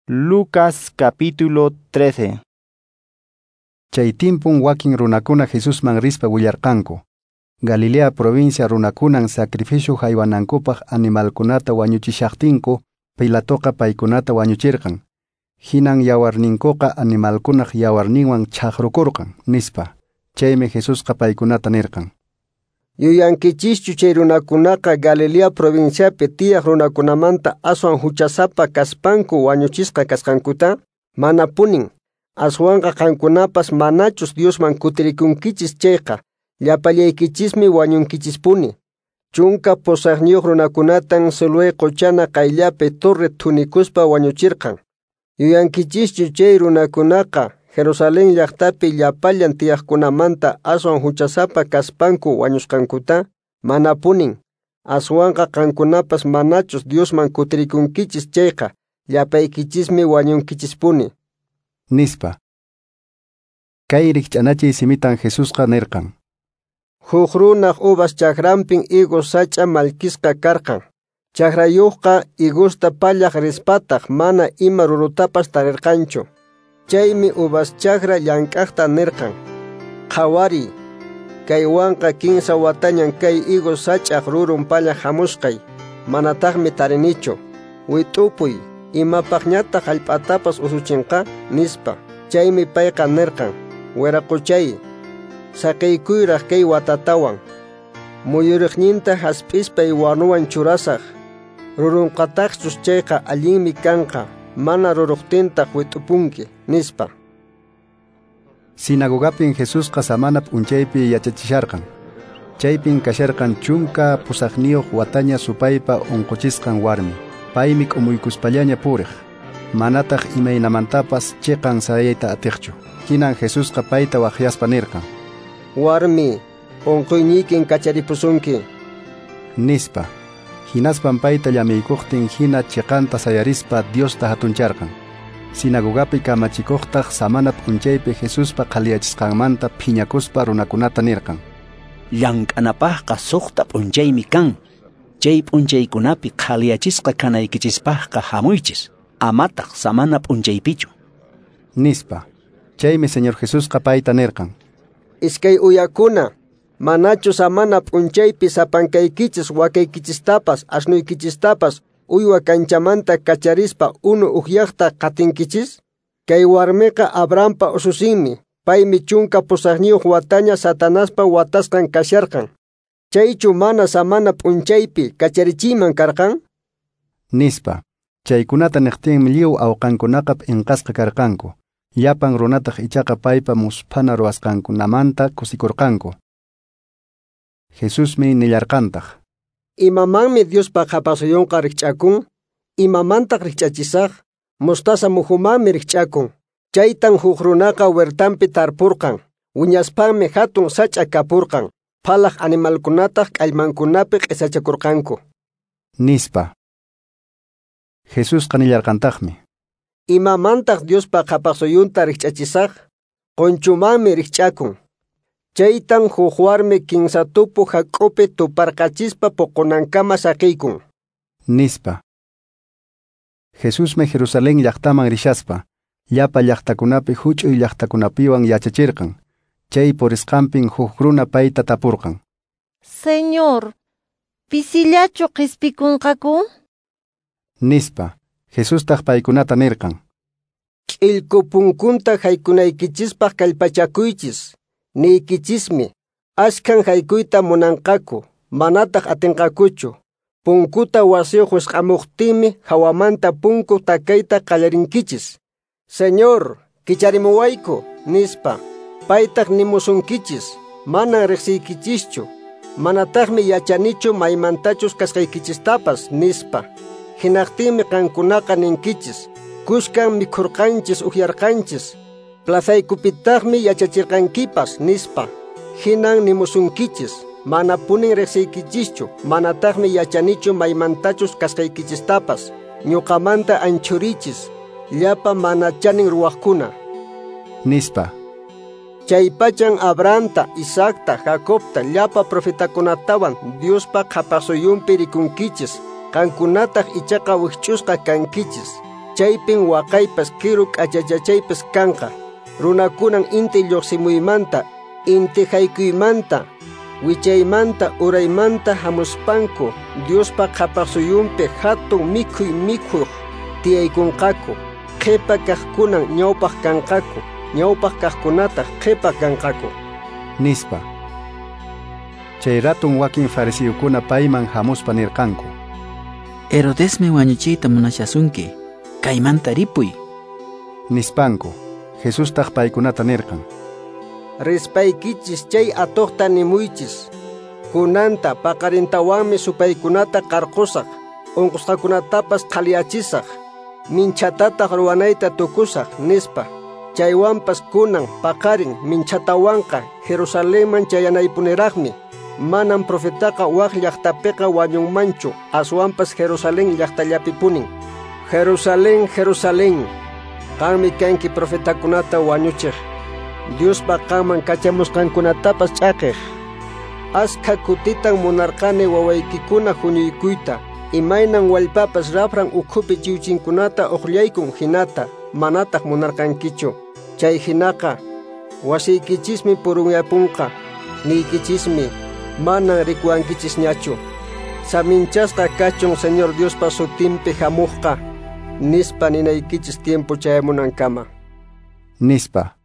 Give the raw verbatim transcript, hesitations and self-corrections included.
Lucas capítulo trece. Chay timpun wakin runakuna Jesusman rispa willarqanku. Galilea provincia runakunan sacrificio haywanankupaq animalkunata wañuchishaqtinku, Pilatoqa paykunata wañuchirqan. Hinan yawarninkuqa animalkunaq yawarninwan chaqrukurqan, nispa. Chaymi Jesusqa paykunata nirqan: Yuyankichischu chay runakunaqa Galilea provinciapi tiyaq runakunamanta aswan huchasapa kaspanku wañuchisqa kasqankuta? Manapunin. Aswanqa qankunapas manachus Diosman kutirikunkichis chayqa, llapallaykichismi wañunkichispuni. Chunka pusaqniyuq runakunatan Siloé quchana qayllapi torre thunikuspa wañuchirqan. Yuyankichischu chay runakunaqa Jerusalén llaqtapi llapallan tiyaqkunamanta aswan huchasapa kaspanku wañusqankuta? Manapunin. Aswanqa qankunapas manachus Diosman kutirikunkichis chayqa, llapaykichismi wañunkichispuni. Nispa. Kay rikch'anachiy simitan Jesusqa nirqan: Huk runaq uvas chakranpin higos sach'a mallkisqa karqan. Chakrayuqqa higusta pallaq rispataq mana ima rurutapas tarirqanchu. Chaymi uvas chakra llank'aqta nirqan: Qhawariy, kaywanqa kinsa watañan kay higos sach'aq rurun pallaq hamusqay, manataqmi tarinichu. Wit'upuy, imapaqñataq hallp'atapas usuchinqa, nispa. Chaymi payqa nirqan: Wiraquchay, saqiykuyraq kay watatawan. Muyuriqninta hasp'ispay wanuwan churasaq. Rurunqataqchus chayqa allinmi kanqa, mana ruruqtintaq wit'upunki, nispa. Sinagogapin Jesusqa samana p'unchaypi yachachisharqan. Chaypin kasharqan chunka pusaqniyuq wataña supaypa unquchisqan warmi. Paymi k'umuykuspallaña puriq, manataq imaynamantapas chiqan sayayta atiqchu. Hinan Jesusqa payta waqyaspa nirqan: Warmi, unquyniykin kacharipusunki, nispa. Hinaspan payta llamiykuqtin hina chiqanta sayarispa Diosta hatuncharqan. Sinagogapi kamachikuqtaq samana p'unchaypi Jesuspa qhaliyachisqanmanta phiñakuspa runakunata nirqan: Llank'anapaqqa suqta p'unchaymi kan. Chay p'unchaykunapi qhaliyachisqa kanaykichispaqqa hamuychis, amataq samana p'unchaypichu, nispa. Chaymi Señor Jesusqa payta nirqan: Iskay uyakuna, manachu samana p'unchaypi sapankaykichis wakaykichistapas asnuykichistapas uywa kanchamanta kacharispa unu ukyaqta qatinkichis? Kay warmiqa Abrahampa ususinmi, paymi chunka pusaqniyuq wataña Satanaspa watasqan kasharqan. Chaychu mana samana p'unchaypi kacharichiyman karqan? Nispa. Chaykunata niqtinmi lliw awqankunaqa p'inqasqa karqanku. Llapan runataq ichaqa paypa musphana ruwasqankunamanta kusikurqanku. Jesusmi nillarqantaq: Imamanmi Diospa qhapaqsuyunqa rikch'akun? Imamantaq rikch'achisaq? Mostaza muhumanmi rikch'akun. Chaytan huk runaqa huertanpi tarpurqan. Wiñaspanmi hatun sach'a kapurqan. Phalaq animalkunataq k'allmankunapi q'isachakurqanku, nispa. Jesusqa nillarqantaqmi: Imamantaq Diospa qhapaqsuyunta rikch'achisaq? Qunchumanmi rikch'akun. Chaytan huk warmi kinsa tupu hak'upi tuparqachispa puqunankama saqiykun, nispa. Jesusmi Jerusalén llaqtaman rishaspa, llapa llaqtakunapi huch'uy llaqtakunapiwan yachachirqan. Chay purisqanpin huk runa payta tapurqan: Señor, pisillachu qispikunqaku? Nispa. Jesustaq paykunata nirqan: K'illku punkunta haykunaykichispaq kallpachakuychis. Niykichismi, ashkhan haykuyta munanqaku, manataq atinqakuchu. Punkuta wasiyuq wisq'amuqtinmi hawamanta punku takayta qallarinkichis. Señor, kicharimuwayku, nispa. Paytaq nimusunkichis, manan riqsiykichischu, manataqmi yachanichu maymantachus kasqaykichistapas, nispa. Hinaqtinmi qankunaqa ninkichis, kushkan mikhurqanchis ukyarqanchis, plazaykupitaqmi yachachirqankipas, nispa. Hinan nimusunkichis, manapunin riqsiykichischu, manataqmi yachanichu maymantachus kasqaykichistapas, ñuqamanta anchurichis, llapa mana chanin ruwaqkuna, nispa. Chaypachan Abrahamta, Isaacta, Jacobta, llapa profetakunatawan Diospa qhapaqsuyunpi rikunkichis, qankunataq ichaqa wikch'usqa kankichis. Chaypin waqaypas kiru k'achachachaypas kanqa. Runakunan inti lluqsimuymanta, inti haykuymanta, wichaymanta uraymanta hamuspanku Diospa qhapaq suyunpi hatun mikhuy mikhuq tiyaykunqaku. Qhipa kaqkunan ñawpaq kanqaku, ñawpaq kaqkunataq qhipa kanqaku. Nispa. Chay ratun wakin fariseokuna payman hamuspa nirqanku: Herodesmi wañuchiyta munashasunki, kaymanta ripuy. Nispanku. Jesustaq paykunata nirqan: Rispaykichis chay atuqta nimuychis. Kunanta paqarintawanmi supaykunata qarqusaq, unqusqakunatapas qhaliyachisaq, minchatataq ruwanayta tukusaq, nispa. Chaywanpas kunan paqarin minchatawanqa Jerusalenman chayanaypuniraqmi. Manam profetaqa wak llaqtapiqa wañunmanchu, aswanpas Jerusalén llaqtallapipunin. Jerusalén, Jerusalén, qanmi kanki profetakunata wañuchiq, Diospa qanman kachamusqankunatapas ch'aqiq. Askha kutitan munarqani wawaykikuna huñuykuyta, imaynan wallpapas rafran ukhupi chiwchinkunata uqllaykun hinata, manataq munarqankichu. Chay hinaqa wasiykichismi purunyapunqa, niykichismi, manan rikuwankichisñachu. Saminchasqa kachun Señor Diospa sutinpi hamuqqa, nispa ninaykichis tiempo chayamunankama. Nispa.